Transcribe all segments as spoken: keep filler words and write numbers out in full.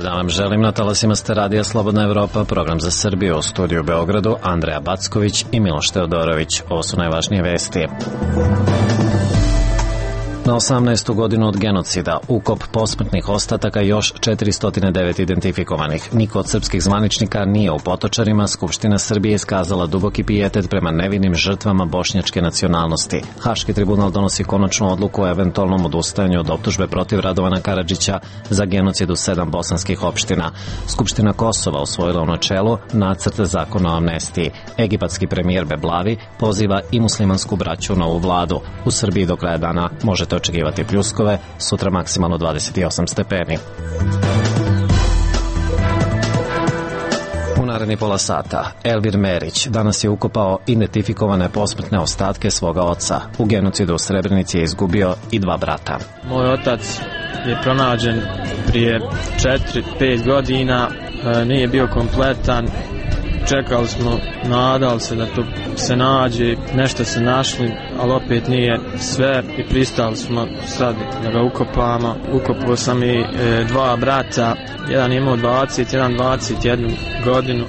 dan vam želim, na talasima ste Radija Slobodna Evropa, program za Srbiju, u studiju u Beogradu, Andreja Backović i Miloš Teodorović. Ovo su najvažnije vesti. Na osamnaestu godinu od genocida, ukop posmrtnih ostataka još četiristo devet identifikovanih. Niko od srpskih zvaničnika nije u Potočarima. Skupština Srbije iskazala duboki pijetet prema nevinim žrtvama bošnjačke nacionalnosti. Haški tribunal donosi konačnu odluku o eventualnom odustajanju od optužbe protiv Radovana Karadžića za genocid u sedam bosanskih opština. Skupština Kosova usvojila u načelu nacrt zakona o amnestiji. Egipatski premijer Beblavi poziva i muslimansku braću u novu vladu. U Srbiji do kraja dana možete očekivati pljuskove, sutra maksimalno dvadeset osam stepeni. U naredni pola sata, Elvir Merić danas je ukopao identifikovane posmrtne ostatke svoga oca. U genocidu u Srebrenici je izgubio i dva brata. Moj otac je pronađen prije četiri pet godina, nije bio kompletan. Čekali smo, nadali se da to se nađe, nešto se našli, ali opet nije sve i pristali smo sad da ga ukopamo. Ukopao sam i e, dva brata, jedan imao dvadeset, jedan dvadeset jednu godinu.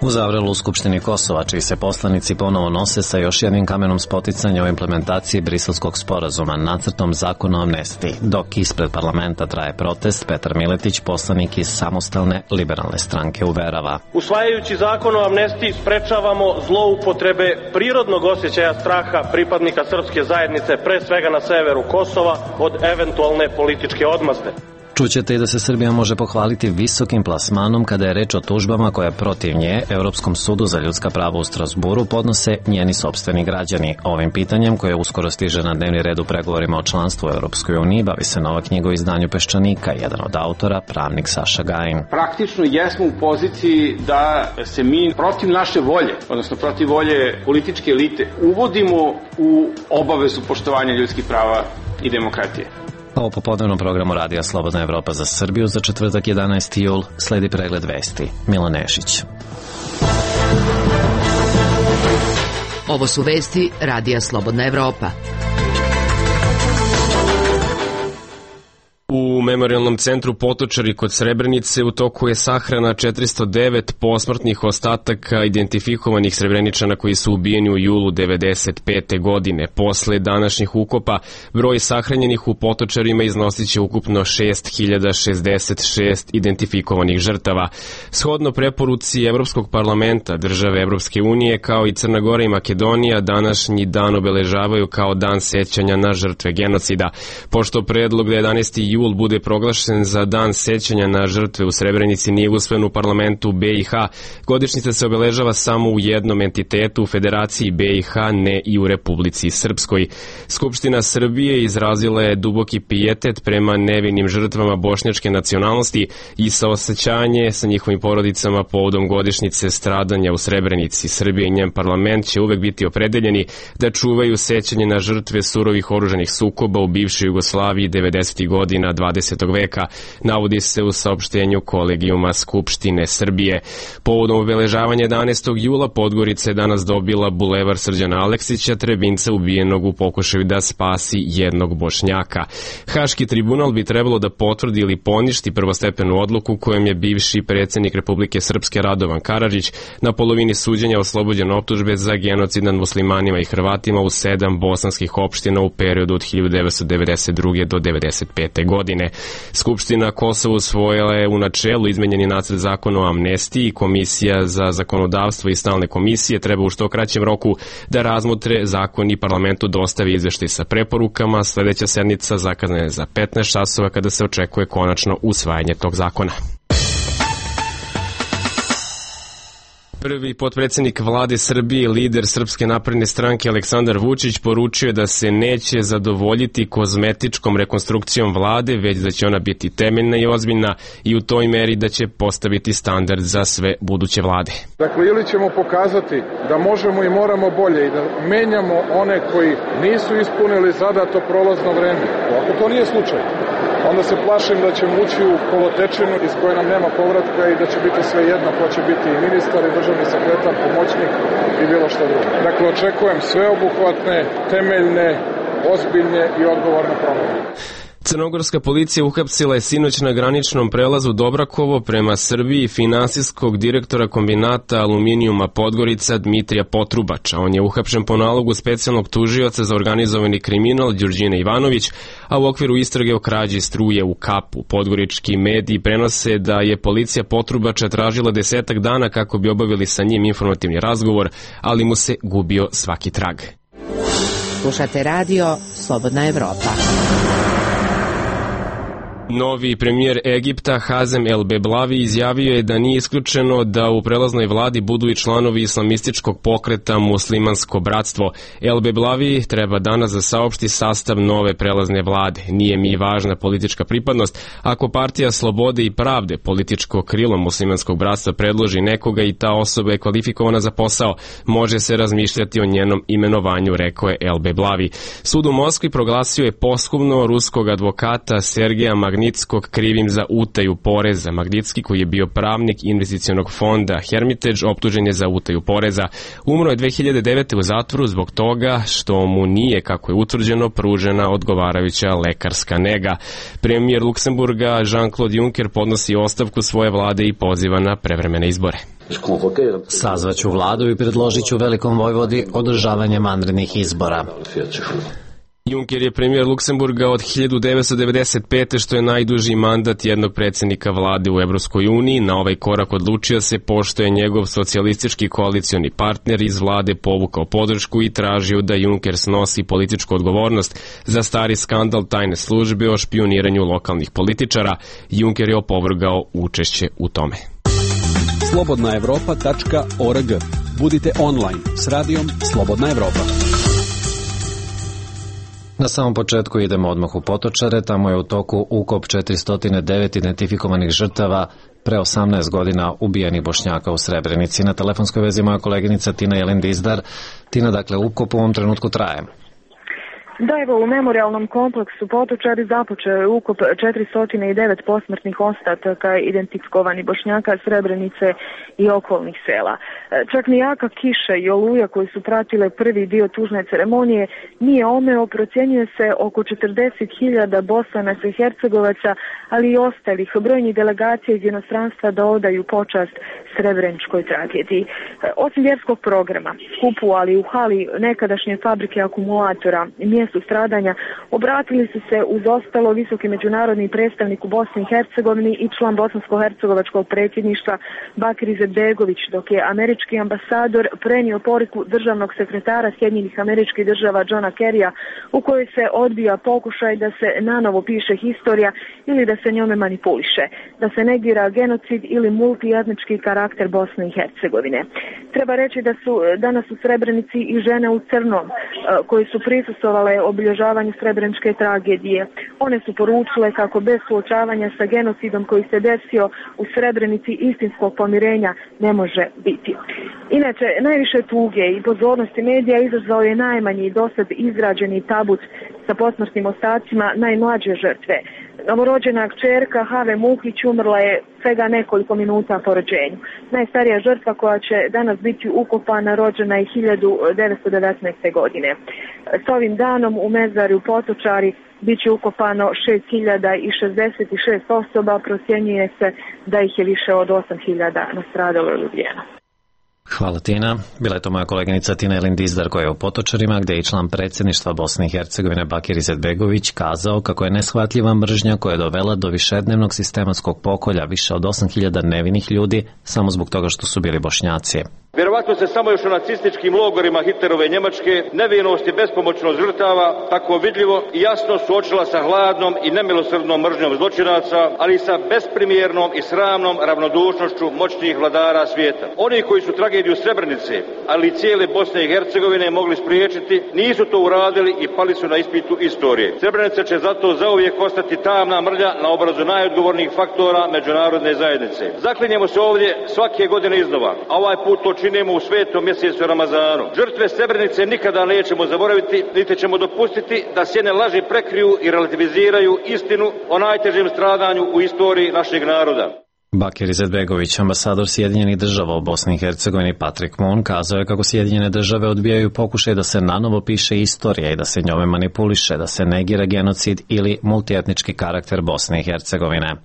U Zavrelu u Skupštini Kosova, čiji se poslanici ponovo nose sa još jednim kamenom spoticanja o implementaciji Briselskog sporazuma, nacrtom zakona o amnestiji. Dok ispred parlamenta traje protest, Petar Miletić, poslanik iz Samostalne liberalne stranke, uverava: usvajajući zakon o amnestiji sprečavamo zloupotrebe prirodnog osjećaja straha pripadnika srpske zajednice, pre svega na severu Kosova, od eventualne političke odmazde. Čućete i da se Srbija može pohvaliti visokim plasmanom kada je reč o tužbama koje protiv nje Evropskom sudu za ljudska prava u Strasburu podnose njeni sopstveni građani. Ovim pitanjem, koje uskoro stiže na dnevni red u pregovorima o članstvu u Evropskoj uniji, bavi se nova knjiga o izdanju Peščanika, jedan od autora, pravnik Saša Gajin. Praktično jesmo u poziciji da se mi protiv naše volje, odnosno protiv volje političke elite, uvodimo u obavezu poštovanja ljudskih prava i demokratije. Ovo popodnevnom programu Radija Slobodna Evropa za Srbiju za četvrtak jedanaesti jul sledi pregled vesti. Milo Nešić. Ovo su vesti Radija Slobodna Evropa. U Memorijalnom centru Potočari kod Srebrenice u toku je sahrana četiristo devet posmrtnih ostataka identifikovanih Srebreničana koji su ubijeni u julu devedeset pete godine. Posle današnjih ukopa, broj sahranjenih u Potočarima iznosit će ukupno šest hiljada šezdeset šest identifikovanih žrtava. Shodno preporuci Evropskog parlamenta, države Evropske unije kao i Crna Gora i Makedonija današnji dan obeležavaju kao dan sećanja na žrtve genocida. Pošto predlog da jedanaesti jul bude proglašen za dan sećanja na žrtve u Srebrenici nije usvojen u parlamentu B i H, godišnjica se obeležava samo u jednom entitetu, u Federaciji B i H, ne i u Republici Srpskoj. Skupština Srbije izrazila je duboki pijetet prema nevinim žrtvama bošnjačke nacionalnosti i saosećanje sa njihovim porodicama povodom godišnjice stradanja u Srebrenici. Srbija i njen parlament će uvek biti opredeljeni da čuvaju sećanje na žrtve surovih oružanih sukoba u bivšoj Jugoslaviji devedesetih godina dvadesetog veka, navodi se u saopštenju Kolegijuma Skupštine Srbije. Povodom obeležavanja jedanaestog jula Podgorica je danas dobila bulevar Srđana Aleksića, Trebinca ubijenog u pokušaju da spasi jednog Bošnjaka. Haški tribunal bi trebalo da potvrdi ili poništi prvostepenu odluku kojom je bivši predsjednik Republike Srpske Radovan Karadžić na polovini suđenja oslobođen optužbe za genocid nad muslimanima i Hrvatima u sedam bosanskih opština u periodu od hiljadu devetsto devedeset druge do devedeset pete godine. Skupština Kosova usvojila je u načelu izmenjeni nacrt zakona o amnestiji. Komisija za zakonodavstvo i stalne komisije treba u što kraćem roku da razmotre zakon i parlamentu dostavi izveštaj sa preporukama. Sledeća sednica zakazana je za petnaest časova kada se očekuje konačno usvajanje tog zakona. Prvi potpredsjednik vlade Srbije, lider Srpske napredne stranke Aleksandar Vučić poručio da se neće zadovoljiti kozmetičkom rekonstrukcijom vlade, već da će ona biti temeljna i ozbiljna i u toj meri da će postaviti standard za sve buduće vlade. Dakle, ili ćemo pokazati da možemo i moramo bolje i da menjamo one koji nisu ispunili zadato prolazno vreme. Ako to nije slučaj, onda se plašim da ćemo ući u kolotečinu iz koje nam nema povratka i da će biti sve jedno ko će biti i ministar i državni sekretar, pomoćnik i bilo što drugo. Dakle, očekujem sveobuhvatne, temeljne, ozbiljne i odgovorne promjene. Crnogorska policija uhapsila je sinoć na graničnom prelazu Dobrakovo prema Srbiji finansijskog direktora kombinata aluminijuma Podgorica Dmitrija Potrubača. On je uhapšen po nalogu specijalnog tužioca za organizovani kriminal Đurđine Ivanović, a u okviru istrage o krađi struje u Kapu. Podgorički mediji prenose da je policija Potrubača tražila desetak dana kako bi obavili sa njim informativni razgovor, ali mu se gubio svaki trag. Slušate radio Slobodna Evropa. Novi premijer Egipta Hazem El Beblavi izjavio je da nije isključeno da u prelaznoj vladi budu i članovi islamističkog pokreta Muslimansko bratstvo. El Beblavi treba danas da saopšti sastav nove prelazne vlade. Nije mi važna politička pripadnost. Ako partija Slobode i pravde, političko krilo Muslimanskog bratstva, predloži nekoga i ta osoba je kvalifikovana za posao, može se razmišljati o njenom imenovanju, rekao je El Beblavi. Sud u Moskvi proglasio je posthumno ruskog advokata Sergeja Magnitskog krivim za utaju poreza. Magnitski, koji je bio pravnik investicionog fonda Hermitage, optužen je za utaju poreza. Umro je dve hiljade devete u zatvoru zbog toga što mu nije, kako je utvrđeno, pružena odgovarajuća lekarska nega. Premijer Luksemburga Jean-Claude Juncker podnosi ostavku svoje vlade i poziva na prevremene izbore. Sazvaću vladu i predložit ću Velikom Vojvodi održavanje vanrednih izbora. Juncker je premijer Luksemburga od hiljadu devetsto devedeset pete, što je najduži mandat jednog predsjednika vlade u Evropskoj uniji. Na ovaj korak odlučio se pošto je njegov socijalistički koalicioni partner iz vlade povukao podršku i tražio da Juncker snosi političku odgovornost za stari skandal tajne službe o špioniranju lokalnih političara. Juncker je opovrgao učešće u tome. slobodna evropa tačka org. Budite online s radijom Slobodna Evropa. Na samom početku idemo odmah u Potočare, tamo je u toku ukop četiristo devet identifikovanih žrtava pre osamnaest godina ubijenih Bošnjaka u Srebrenici. Na telefonskoj vezi moja koleginica Tina Jelin Dizdar. Tina, dakle, ukop u ovom trenutku traje. Da, evo, u memorialnom kompleksu Potočari započeo je ukop četiristo devet posmrtnih ostataka identifikovanih Bošnjaka, Srebrenice i okolnih sela. Čak ni jaka kiša i oluja koji su pratile prvi dio tužne ceremonije nije omeo, procjenjuje se oko četrdeset hiljada Bosanaca i Hercegovaca, ali i ostalih brojnih delegacija iz inostranstva da odaju počast srebreničkoj tragediji. Osim vjerskog programa, skupu, ali u hali nekadašnje fabrike akumulatora, mjestu stradanja, obratili su se uz ostalo visoki međunarodni predstavnik u Bosni i Hercegovini i član bosansko-hercegovačkog predsjedništva Bakir Izetbegović, dok je američki ambasador prenio poruku državnog sekretara Sjedinjenih Američkih Država Johna Kerrya, u kojoj se odbija pokušaj da se nanovo piše historija ili da se njome manipuliše, da se negira genocid ili multietnički karakter Bosne i Hercegovine. Treba reći da su danas u Srebrenici i žene u crnom koji su prisustvovale obilježavanju srebreničke tragedije. One su poručile kako bez suočavanja sa genocidom koji se desio u Srebrenici istinskog pomirenja ne može biti. Inače, najviše tuge i pozornosti medija izazvao je najmanji dosad izrađeni tabut sa posmrtnim ostacima najmlađe žrtve. Novorođena kćerka Have Muhić umrla je svega nekoliko minuta po rođenju. Najstarija žrtva koja će danas biti ukopana rođena je hiljadu devetsto devetnaeste. godine. S ovim danom u mezarju Potočari bit će ukopano šest hiljada šezdeset šest osoba, procjenjuje se da ih je više od osam hiljada nastradalo ili ubijeno. Hvala, Tina. Bila je to moja koleginica Tina Jelin Dizdar koja je u Potočarima, gde je i član predsjedništva Bosne i Hercegovine Bakir Izetbegović kazao kako je neshvatljiva mržnja koja je dovela do višednevnog sistematskog pokolja više od osam hiljada nevinih ljudi samo zbog toga što su bili Bošnjaci. Vjerovatno se samo još u nacističkim logorima Hitlerove Njemačke nevinost i bespomoćnost žrtava tako vidljivo i jasno suočila sa hladnom i nemilosrdnom mržnjom zločinaca, ali i sa besprimjernom i sramnom ravnodušnošću moćnih vladara svijeta. Oni koji su tragediju Srebrenice, ali i cijele Bosne i Hercegovine mogli spriječiti, nisu to uradili i pali su na ispitu istorije. Srebrenica će zato zauvijek ostati tamna mrlja na obrazu najodgovornijih faktora međunarodne zajednice. Zaklinjemo se ovdje svake godine iznova, a ovaj put to činimo u svetom mjesecu Ramazanu. Žrtve Srebrenice nikada nećemo zaboraviti, niti ćemo dopustiti da sjene laži prekriju i relativiziraju istinu o najtežem stradanju u istoriji našeg naroda. Bakir Izetbegović, ambasador Sjedinjenih država u Bosni i Hercegovini Patrick Moon, kazao je kako Sjedinjene države odbijaju pokušaj da se nanovo piše istorija i da se njome manipuliše, da se negira genocid ili multietnički karakter Bosne i Hercegovine.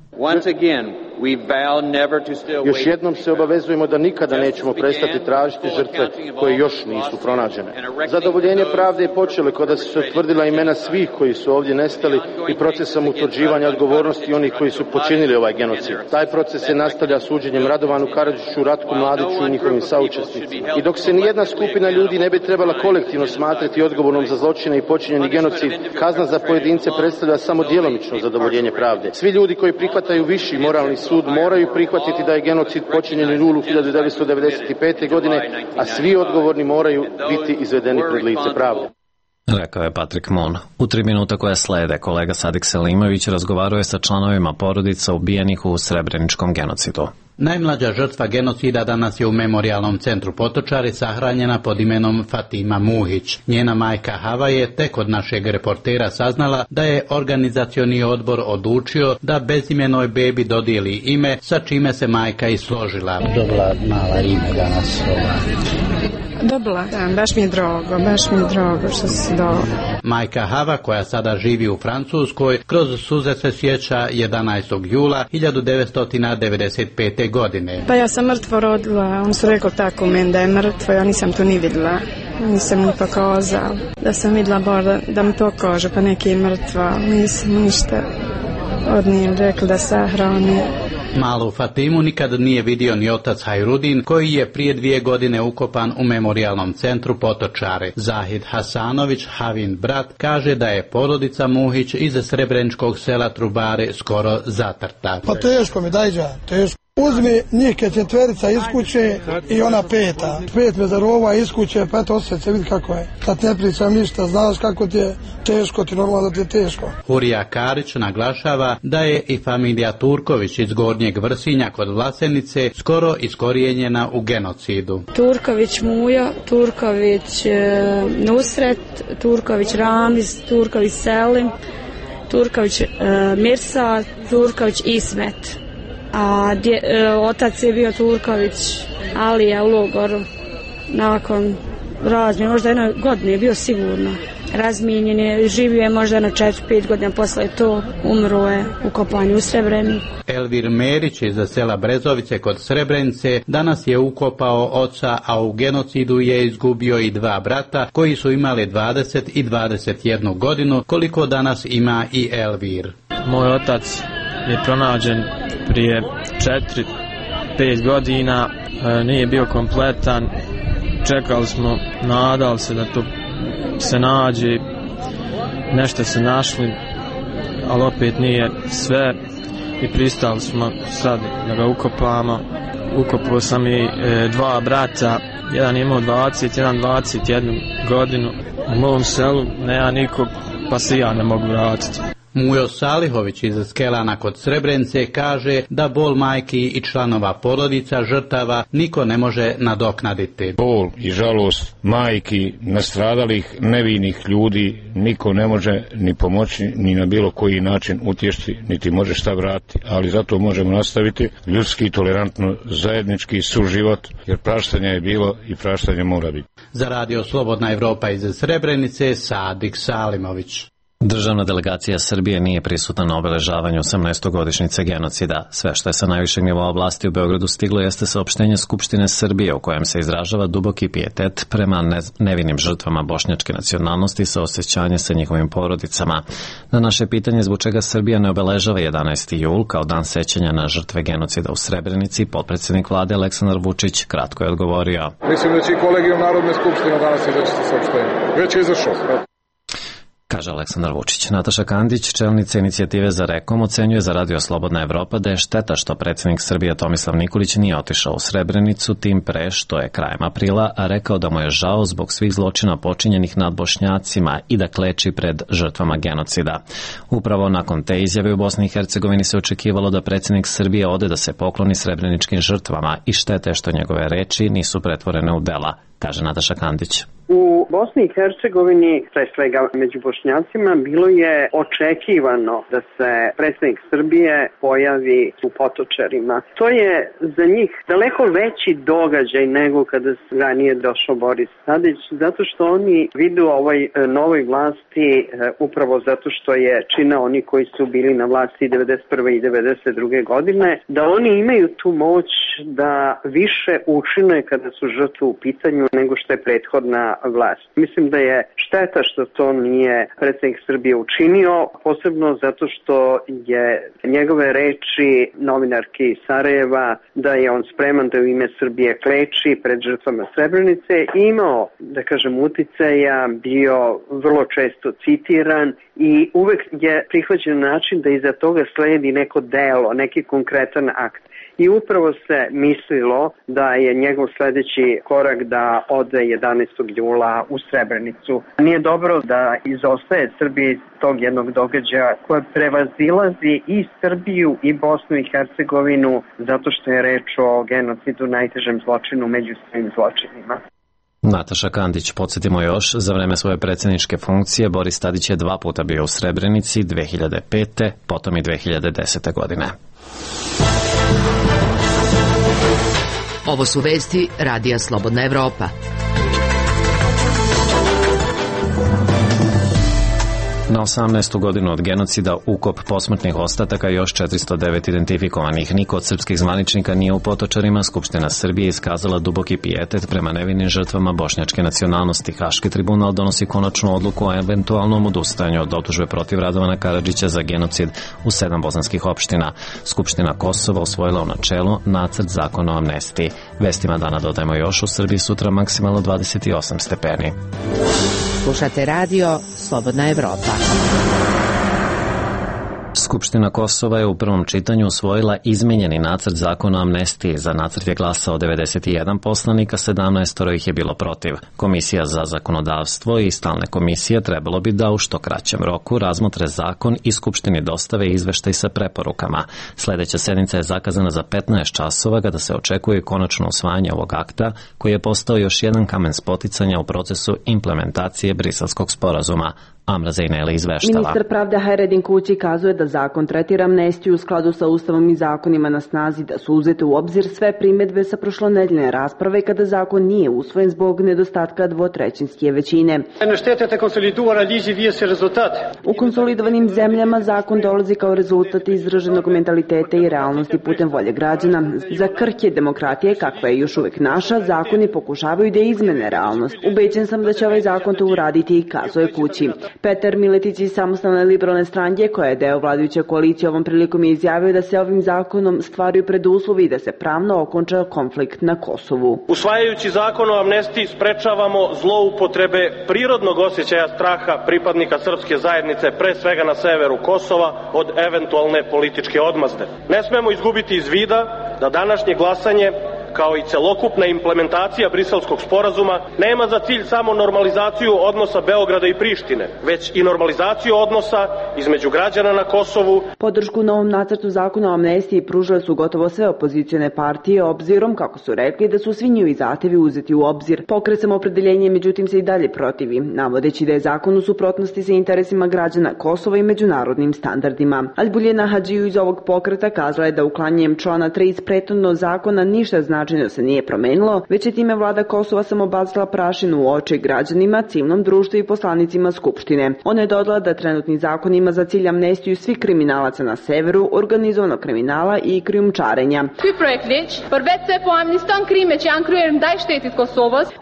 Još jednom se obavezujemo da nikada nećemo prestati tražiti žrtve koje još nisu pronađene. Zadovoljenje pravde je počelo kada su se utvrdila imena svih koji su ovdje nestali i procesom utvrđivanja odgovornosti onih koji su počinili ovaj genocid. Taj proces se nastavlja suđenjem Radovanu Karadžiću, Ratku Mladiću i njihovim saučesnicima. I dok se nijedna skupina ljudi ne bi trebala kolektivno smatrati odgovornom za zločine i počinjeni genocid, kazna za pojedince predstavlja samo djelomično zadovoljenje pravde. Svi ljudi koji prihvataju viši moralni sud moraju prihvatiti da je genocid počinjen u julu hiljadu devetsto devedeset pete. godine, a svi odgovorni moraju biti izvedeni pred lice pravde. Rekao je Patrick Moon. U tri minuta koje slede, kolega Sadik Selimović razgovarao je sa članovima porodica ubijenih u Srebreničkom genocidu. Najmlađa žrtva genocida danas je u memorijalnom centru Potočari sahranjena pod imenom Fatima Muhić. Njena majka Hava je tek od našeg reportera saznala da je organizacioni odbor odlučio da bezimenoj bebi dodijeli ime, sa čime se majka i složila. Dobila mala ime danas. Dobila, da, baš mi je drago, baš mi je drago što se dao. Majka Hava, koja sada živi u Francuskoj, kroz suze se sjeća jedanaestog jula hiljadu devetsto devedeset pete. godine. Pa ja sam mrtvo rodila, on su rekao tako meni da je mrtvo, ja nisam to ni vidjela, nisam ni pokazao. Da sam vidjela bar da, da mi pokaže, pa neki je mrtva, nisam ništa od njih rekli da sahrani. Malu Fatimu nikad nije vidio ni otac Hajrudin, koji je prije dvije godine ukopan u memorijalnom centru Potočare. Zahid Hasanović, Havin brat, kaže da je porodica Muhić iz srebreničkog sela Trubare skoro zatrta. Pa teško mi dajđa, teško. Uzmi njih četverica iz kuće i ona peta. Pet mezarova iz kuće, pa eto osjeća se vidi kako je. Kad ne pričam ništa, znaš kako ti je teško, ti normalno da ti je teško. Hurija Karić naglašava da je i familija Turković iz Gornjeg Vrsinja kod Vlasenice skoro iskorijenjena u genocidu. Turković Mujo, Turković e, Nusret, Turković Ramiz, Turković Selim, Turković e, Mirsa, Turković Ismet. A dje, e, otac je bio Turković Alija u logoru. Nakon razmjene, možda jedno godine je bio sigurno razmijenjen je, živio je možda jedno četiri pet godina posle to, umro je u kopanju u Srebreniku. Elvir Merić iz sela Brezovice kod Srebrenice danas je ukopao oca, a u genocidu je izgubio i dva brata koji su imali dvadeset i dvadeset jednu godinu, koliko danas ima i Elvir. Moj otac je pronađen prije četiri pet godina, e, nije bio kompletan, čekali smo, nadali se da to se nađe, nešto se našli, ali opet nije sve i pristali smo sad da ga ukopamo. Ukopao sam i e, dva brata, jedan je imao dvadeset, jedan dvadeset jednu godinu. U mom selu nema nikog, pa se ja ne mogu vratiti. Mujo Salihović iz Skelana kod Srebrenice kaže da bol majki i članova porodica žrtava niko ne može nadoknaditi. Bol i žalost majki nastradalih nevinih ljudi niko ne može ni pomoći ni na bilo koji način utješti, niti može šta vratiti, ali zato možemo nastaviti ljudski, tolerantno, zajednički suživot, jer praštanja je bilo i praštanje mora biti. Za radio Slobodna Evropa iz Srebrenice, Sadik Salimović. Državna delegacija Srbije nije prisutna na obeležavanju osamnaestogodišnjice genocida. Sve što je sa najvišeg nivoa vlasti u Beogradu stiglo jeste saopštenje Skupštine Srbije u kojem se izražava duboki pijetet prema nevinim žrtvama bošnjačke nacionalnosti sa osjećanje sa njihovim porodicama. Na naše pitanje zbog čega Srbija ne obeležava jedanaesti jul kao dan sećanja na žrtve genocida u Srebrenici, potpredsjednik vlade Aleksandar Vučić kratko je odgovorio. Mislim da će i kolegijum Narodne skupštine danas izaći sa saopštenjem. Već je izašao. Kaže Aleksandar Vučić. Nataša Kandić, čelnica inicijative za Rekom, ocenjuje za radio Slobodna Evropa da je šteta što predsjednik Srbije Tomislav Nikolić nije otišao u Srebrenicu, tim pre što je krajem aprila, a rekao da mu je žao zbog svih zločina počinjenih nad Bošnjacima i da kleči pred žrtvama genocida. Upravo nakon te izjave u Bosni i Hercegovini se očekivalo da predsjednik Srbije ode da se pokloni srebreničkim žrtvama i štete što njegove reči nisu pretvorene u dela, kaže Nataša Kandić. U Bosni i Hercegovini, pre svega među Bošnjacima, bilo je očekivano da se predsjednik Srbije pojavi u Potočarima. To je za njih daleko veći događaj nego kada ranije došao Boris Tadić, zato što oni vide u ovoj novoj vlasti upravo zato što je čine oni koji su bili na vlasti devedeset prve i devedeset druge godine, da oni imaju tu moć da više učine kada su žrtve u pitanju nego što je prethodna vlast. Mislim da je šteta što to nije predsjednik Srbije učinio, posebno zato što je njegove reči novinarke iz Sarajeva da je on spreman da u ime Srbije kleči pred žrtvama Srebrenice imao, da kažem, uticaja, bio vrlo često citiran i uvek je prihvaćen način da iza toga sledi neko delo, neki konkretan akt. I upravo se mislilo da je njegov sledeći korak da ode jedanaestog jula u Srebrenicu. Nije dobro da izostaje Srbija iz tog jednog događaja koja prevazilazi i Srbiju i Bosnu i Hercegovinu zato što je reč o genocidu, najtežem zločinu među svim zločinima. Nataša Kandić, podsjetimo još, za vreme svoje predsjedničke funkcije Boris Tadić je dva puta bio u Srebrenici, dve hiljade pete. potom i dve hiljade desete. godine. Ovo su vesti Radija Slobodna Evropa. Na osamnaestu godinu od genocida, ukop posmrtnih ostataka i još četiristo devet identifikovanih. Niko od srpskih zvaničnika nije u Potočarima. Skupština Srbije iskazala duboki pijetet prema nevinim žrtvama bošnjačke nacionalnosti. Haški tribunal donosi konačnu odluku o eventualnom odustajanju od optužbe protiv Radovana Karadžića za genocid u sedam bosanskih opština. Skupština Kosova usvojila u načelu nacrt zakona o amnestiji. Vestima dana dodajemo još, u Srbiji sutra maksimalno dvadeset osam stepeni. Slušate radio Slobodna Evropa. Skupština Kosova je u prvom čitanju usvojila izmenjeni nacrt zakona o amnestiji. Za nacrt je glasao devedeset jedan poslanika, sedamnaest ih je bilo protiv. Komisija za zakonodavstvo i stalne komisije trebalo bi da u što kraćem roku razmotre zakon i Skupštini dostave izveštaj sa preporukama. Sledeća sednica je zakazana za petnaest časova kada se očekuje konačno usvajanje ovog akta koji je postao još jedan kamen spoticanja u procesu implementacije Briselskog sporazuma. Amra Zejneli izveštava. Ministar pravde Hajredin Kući kazuje da zakon tretira amnestiju u skladu sa Ustavom i zakonima na snazi, da su uzete u obzir sve primedbe sa prošlonedeljne rasprave kada zakon nije usvojen zbog nedostatka dvotrećinske većine. U konsolidovanim zemljama zakon dolazi kao rezultat izraženog mentaliteta i realnosti putem volje građana. Za krhke demokratije, kakva je još uvek naša, zakoni pokušavaju da izmene realnost. Ubeđen sam da će ovaj zakon to uraditi i kazuje Kući. Petar Miletić iz Samostalne liberalne stranke, koja je deo vladajuće koalicije, ovom prilikom je izjavio da se ovim zakonom stvaraju preduslovi i da se pravno okonča konflikt na Kosovu. Usvajajući zakon o amnestiji sprečavamo zloupotrebe prirodnog osjećaja straha pripadnika srpske zajednice, pre svega na severu Kosova, od eventualne političke odmazde. Ne smemo izgubiti iz vida da današnje glasanje kao i celokupna implementacija Briselskog sporazuma nema za cilj samo normalizaciju odnosa Beograda i Prištine, već i normalizaciju odnosa između građana na Kosovu. Podršku novom nacrtu zakona o amnestiji pružile su gotovo sve opozicione partije, obzirom, kako su rekli, da su svi njihovi zahtevi uzeti u obzir. Pokret Samoopredeljenje, međutim, se i dalje protivi, navodeći da je zakon u suprotnosti sa interesima građana Kosova i međunarodnim standardima. Albuljena Hadžiju iz ovog pokreta kazala je da uklanjanjem člana tri iz prethodnog zakona ništa znači značajno se nije promenilo, već je time vlada Kosova samo bacila prašinu u oči građanima, civilnom društvu i poslanicima Skupštine. Ona je dodala da trenutni zakon ima za cilj amnestiju svih kriminalaca na severu, organizovanog kriminala i krijumčarenja.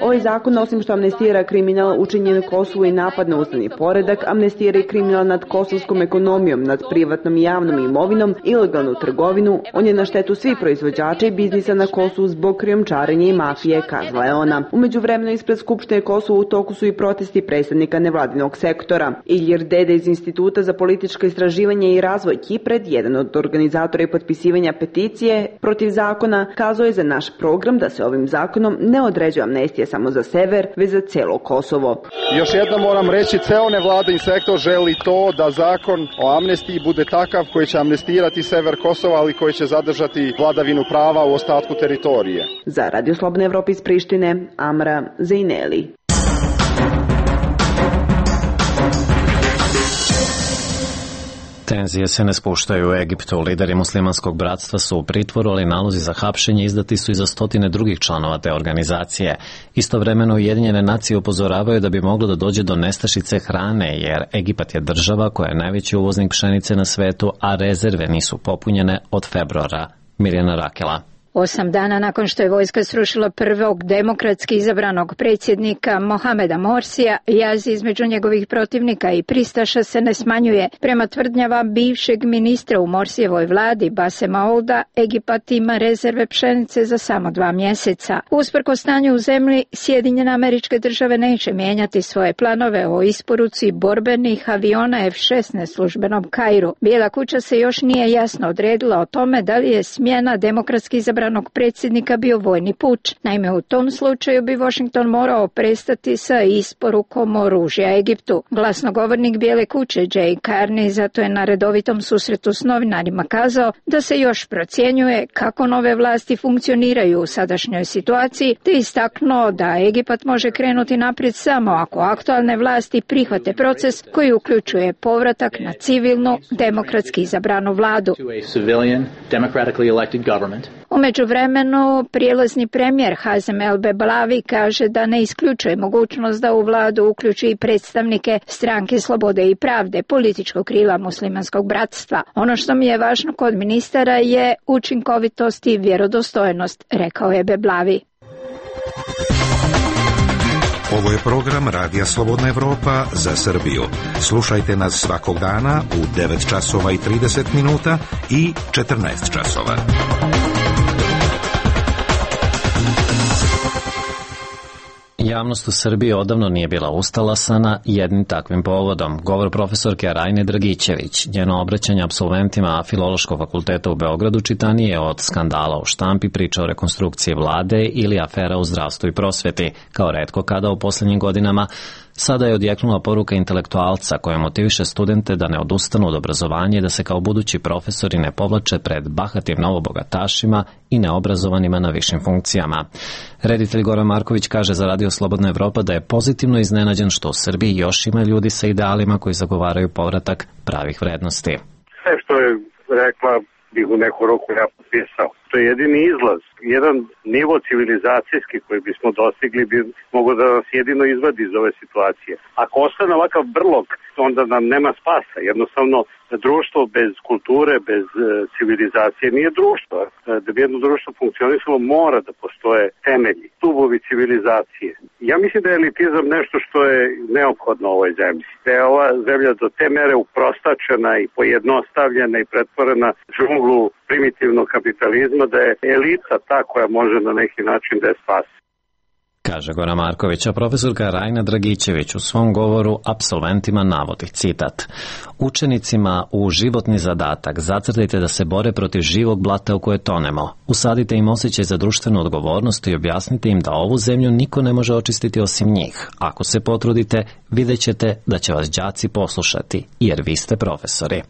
Ovaj zakon, osim što amnestira kriminal učinjen u Kosovu i napad na ustavni poredak, amnestira i kriminal nad kosovskom ekonomijom, nad privatnom i javnom imovinom, ilegalnu trgovinu. On je na štetu svih proizvođača i biznisa na Kosovu zbog krijumčarenja i mafije, kazala je ona. Umeđu vremenu ispred Skupštine Kosova u toku su i protesti predstavnika nevladinog sektora. Ilir Dede iz Instituta za političko istraživanje i razvoj Kipred, jedan od organizatora i potpisivanja peticije protiv zakona, kazao je za naš program da se ovim zakonom ne određuje amnestija samo za sever, već za celo Kosovo. Još jednom moram reći, ceo nevladin sektor želi to da zakon o amnestiji bude takav koji će amnestirati sever Kosova, ali koji će zadržati vladavinu prava u ostatku teritorije. Za Radio Slobodna Evropa iz Prištine, Amra Zejneli. Tenzije se ne spuštaju u Egiptu. Lideri muslimanskog bratstva su u pritvoru, ali nalozi za hapšenje izdati su i za stotine drugih članova te organizacije. Istovremeno Ujedinjene nacije upozoravaju da bi moglo da dođe do nestašice hrane, jer Egipat je država koja je najveći uvoznik pšenice na svetu, a rezerve nisu popunjene od februara. Mirjana Rakela. Osam dana nakon što je vojska srušila prvog demokratski izabranog predsjednika Mohameda Morsija, jaz između njegovih protivnika i pristaša se ne smanjuje. Prema tvrdnjama bivšeg ministra u Morsijevoj vladi Basema Olda, Egipat ima rezerve pšenice za samo dva mjeseca. Usprkos stanju u zemlji, Sjedinjene Američke Države neće mijenjati svoje planove o isporuci borbenih aviona F šesnaest službenom Kairu. Bijela kuća se još nije jasno odredila o tome da li je smjena demokratski izabranog predsjednika bio vojni puč. Naime, u tom slučaju bi Washington morao prestati sa isporukom oružja Egiptu. Glasnogovornik Bijele kuće Jay Carney zato je na redovitom susretu s novinarima kazao da se još procjenjuje kako nove vlasti funkcioniraju u sadašnjoj situaciji, te istaknuo da Egipat može krenuti naprijed samo ako aktualne vlasti prihvate proces koji uključuje povratak na civilnu, demokratski izabranu vladu. U međuvremenu, prijelazni premijer Hazem El Beblavi kaže da ne isključuje mogućnost da u vladu uključi i predstavnike Stranke slobode i pravde, političkog krila muslimanskog bratstva. Ono što mi je važno kod ministara je učinkovitost i vjerodostojnost, rekao je Beblavi. Ovo je program Radija Slobodna Evropa za Srbiju. Slušajte nas svakog dana u devet časova i trideset minuta i četrnaest časova. Javnost u Srbiji odavno nije bila ustalasana jednim takvim povodom. Govor profesorke Rajne Dragićević, njeno obraćanje apsolventima Filološkog fakulteta u Beogradu čitanije od skandala u štampi, priča o rekonstrukciji vlade ili afera u zdravstvu i prosveti. Kao retko kada u posljednjim godinama, sada je odjeknula poruka intelektualca koja motiviše studente da ne odustanu od obrazovanja i da se kao budući profesori ne povlače pred bahatim novobogatašima i neobrazovanima na višim funkcijama. Reditelj Goran Marković kaže za Radio Slobodna Evropa da je pozitivno iznenađen što u Srbiji još ima ljudi sa idealima koji zagovaraju povratak pravih vrednosti. Sve što je rekla bih u neku roku ja potpisao. To je jedini izlaz. Jedan nivo civilizacijski koji bismo dostigli bi mogo da nas jedino izvadi iz ove situacije. Ako ostane ovakav brlog, onda nam nema spasa. Jednostavno, društvo bez kulture, bez civilizacije nije društvo. Da bi jedno društvo funkcionisalo, mora da postoje temelji, stubovi civilizacije. Ja mislim da je elitizam nešto što je neophodno u ovoj zemlji. Da je ova zemlja do te mere uprostačena i pojednostavljena i pretvorena džunglu primitivnog kapitalizma, da je elita ta koja može na neki način da je spasi. Kaže Goran Marković, a profesorka Rajna Dragićević u svom govoru apsolventima navodi, citat: učenicima u životni zadatak zacrtajte da se bore protiv živog blata u koje tonemo. Usadite im osjećaj za društvenu odgovornost i objasnite im da ovu zemlju niko ne može očistiti osim njih. Ako se potrudite, vidjet ćete da će vas đaci poslušati, jer vi ste profesori.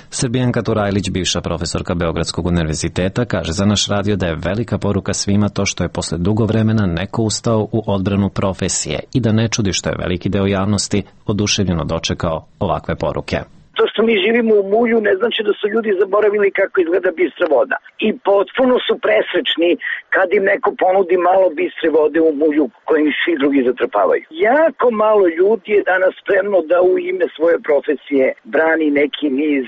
Srbijanka Turajlić, bivša profesorka Beogradskog univerziteta, kaže za naš radio da je velika poruka svima to što je posle dugo vremena neko ustao u odbranu profesije i da ne čudi što je veliki deo javnosti oduševljeno dočekao ovakve poruke. To što mi živimo u mulju ne znači da su ljudi zaboravili kako izgleda bistra voda. I potpuno su presrećni kad im neko ponudi malo bistre vode u mulju kojim svi drugi zatrpavaju. Jako malo ljudi je danas spremno da u ime svoje profesije brani neki niz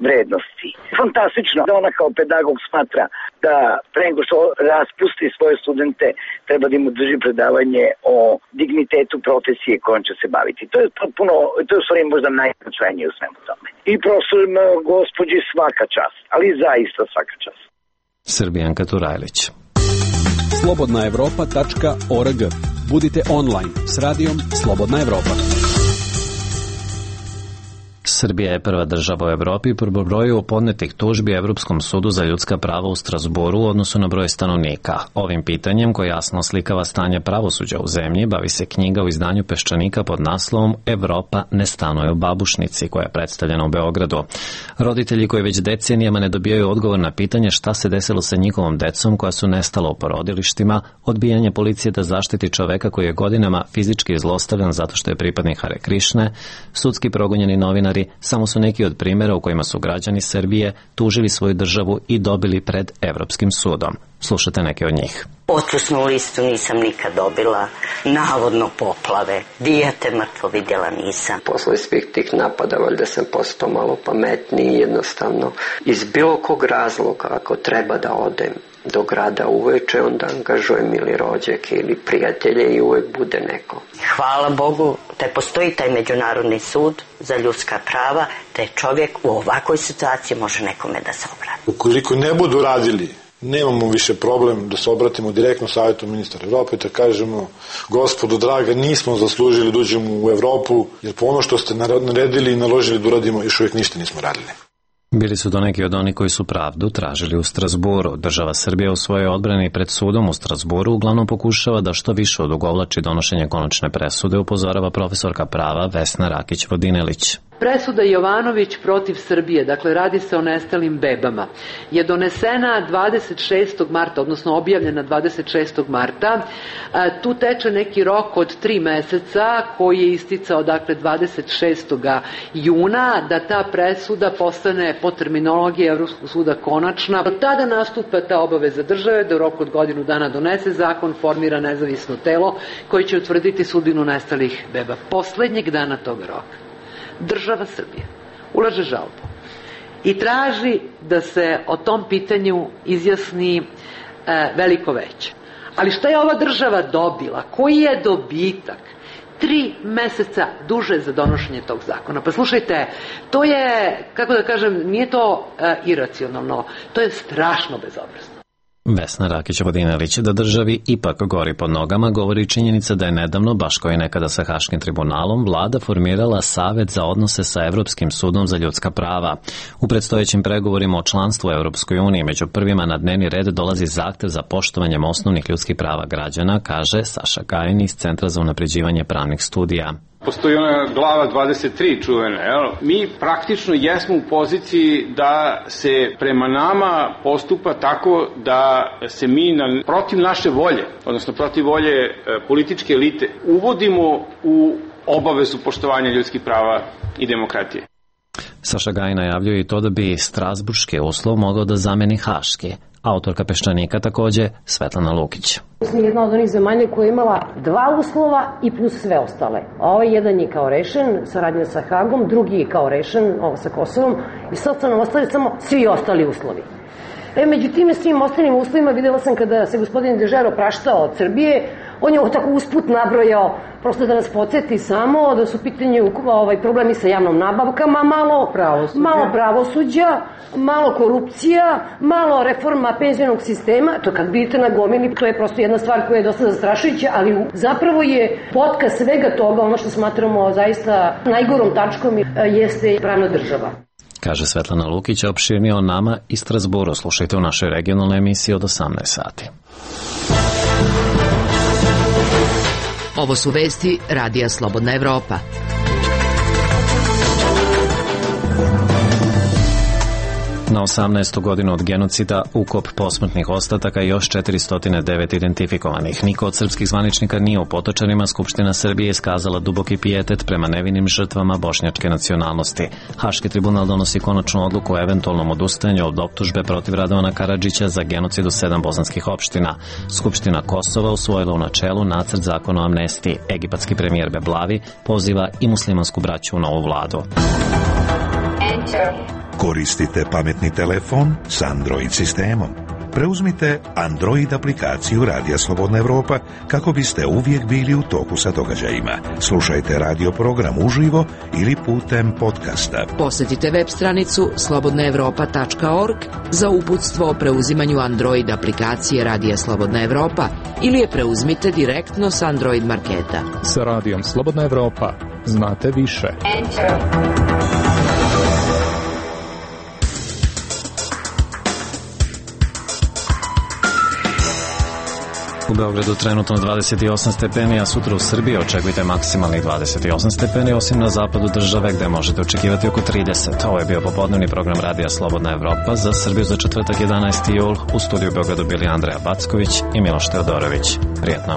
vrednosti. Fantastično da ona kao pedagog smatra da pre nego što raspusti svoje studente treba da im drži predavanje o dignitetu profesije kojom će se baviti. To je potpuno, to je u stvari možda najznačajnije u svemu tome. I profesorima gospođi svaka čast, ali zaista svaka čast. Srbijanka Turajlić. slobodna evropa tačka org. Budite online s radijom Slobodna Evropa. Srbija je prva država u Evropi po broju podnetih tužbi Evropskom sudu za ljudska prava u Strazburu u odnosu na broj stanovnika. Ovim pitanjem, koje jasno slikava stanje pravosuđa u zemlji, bavi se knjiga u izdanju Peščanika pod naslovom Evropa ne stanuje u babušnici, koja je predstavljena u Beogradu. Roditelji koji već decenijama ne dobijaju odgovor na pitanje šta se desilo sa njihovom decom koja su nestala u porodilištima, odbijanje policije da zaštiti čoveka koji je godinama fizički zlostavljan zato što je pripadnik Hare Krišne, sudski progonjeni novinari novinari samo su neki od primjera u kojima su građani Srbije tužili svoju državu i dobili pred Evropskim sudom. Slušajte neke od njih. Otkusnu listu nisam nikad dobila, navodno poplave, dijete mrtvo vidjela nisam. Posle svih tih napada valjda sam postao malo pametniji, jednostavno iz bilo kog razloga ako treba da odem do grada uveče, onda angažujem ili rođake ili prijatelje i uvek bude neko. Hvala Bogu da postoji taj Međunarodni sud za ljudska prava, da je čovjek u ovakvoj situaciji može nekome da se obrati. Ukoliko ne budu radili, nemamo više problem da se obratimo direktno Savjetu ministara Evrope, da kažemo, gospodo draga, nismo zaslužili da uđemo u Evropu, jer po ono što ste naredili i naložili da uradimo, još uvijek ništa nismo radili. Bili su to neki od onih koji su pravdu tražili u Strazburu. Država Srbija u svojoj odbrani pred sudom u Strazburu uglavnom pokušava da što više odugovlači donošenje konačne presude, upozorava profesorka prava Vesna Rakić-Vodinelić. Presuda Jovanović protiv Srbije, dakle radi se o nestalim bebama, je donesena dvadeset šestog marta, odnosno objavljena dvadeset šestog marta. Tu teče neki rok od tri meseca koji je isticao dakle dvadeset šestog juna da ta presuda postane po terminologiji Evropskog suda konačna. Od tada nastupa ta obaveza države da u roku od godinu dana donese zakon, formira nezavisno telo koji će utvrditi sudbinu nestalih beba. Poslednjeg dana tog roka država Srbija ulaže žalbu i traži da se o tom pitanju izjasni e, veliko veće. Ali šta je ova država dobila? Koji je dobitak? Tri meseca duže za donošenje tog zakona. Pa slušajte, to je, kako da kažem, nije to e, iracionalno, to je strašno bezobrazno. Vesna Rakić-Vodinelić, da državi ipak gori pod nogama, govori činjenica da je nedavno, baš kao i nekada sa Haškim tribunalom, vlada formirala Savet za odnose sa Evropskim sudom za ljudska prava. U predstojećim pregovorima o članstvu u Evropskoj uniji među prvima na dnevni red dolazi zahtev za poštovanjem osnovnih ljudskih prava građana, kaže Saša Gajin iz Centra za unapređivanje pravnih studija. Postoji ona glava dvadeset tri čuvena, jel? Mi praktično jesmo u poziciji da se prema nama postupa tako da se mi na, protiv naše volje, odnosno protiv volje e, političke elite, uvodimo u obavezu poštovanja ljudskih prava i demokratije. Saša Gajin najavljuje i to da bi strasburški uslov mogao da zameni haški. Autorka Peščanika takođe, Svetlana Lukić. Mi smo jedna od onih zemalja koja je imala dva uslova i plus sve ostale. Ovaj jedan je kao rešen, saradnja sa Hagom, drugi je kao rešen, ovo sa Kosovom, i sad su nam ostali samo svi ostali uslovi. E, među tim svim ostalim uslovima videla sam kada se gospodin Dežero praštao od Srbije, on je ovo tako usput nabrojao, prosto da nas podsjeti samo da su u pitanju ovaj, problemi sa javnom nabavkama, malo pravosuđa. malo pravosuđa, malo korupcija, malo reforma penzionog sistema. To kad vidite na gomili, to je prosto jedna stvar koja je dosta zastrašujuća, ali zapravo je potka svega toga, ono što smatramo zaista najgorom tačkom, jeste pravna država. Kaže Svetlana Lukić, opširnije o nama i Strazburu. Slušajte u našoj regionalnoj emisiji od osamnaest sati. Ovo su vesti Radija Slobodna Evropa. Na osamnaestu godinu od genocida, ukop posmrtnih ostataka i još četiristo devet identifikovanih. Niko od srpskih zvaničnika nije u Potočarima. Skupština Srbije iskazala duboki pijetet prema nevinim žrtvama bošnjačke nacionalnosti. Haški tribunal donosi konačnu odluku o eventualnom odustajanju od optužbe protiv Radovana Karadžića za genocid u sedam bosanskih opština. Skupština Kosova usvojila u načelu nacrt zakona o amnestiji. Egipatski premijer Beblavi poziva i muslimansku braću u novu vladu. Enter. Koristite pametni telefon s Android sistemom. Preuzmite Android aplikaciju Radija Slobodna Evropa kako biste uvijek bili u toku sa događajima. Slušajte radio program uživo ili putem podcasta. Posjetite web stranicu slobodna evropa tačka org za uputstvo o preuzimanju Android aplikacije Radija Slobodna Evropa ili je preuzmite direktno s Android marketa. Sa Radijom Slobodna Evropa znate više. Enter. U Beogradu trenutno dvadeset osam stepeni, a sutra u Srbiji očekujte maksimalnih dvadeset osam stepeni, osim na zapadu države gde možete očekivati oko trideset. Ovo je bio popodnevni program Radija Slobodna Evropa za Srbiju za četvrtak jedanaesti jul. U studiju u Beogradu bili Andreja Backović i Miloš Teodorović. Prijetno.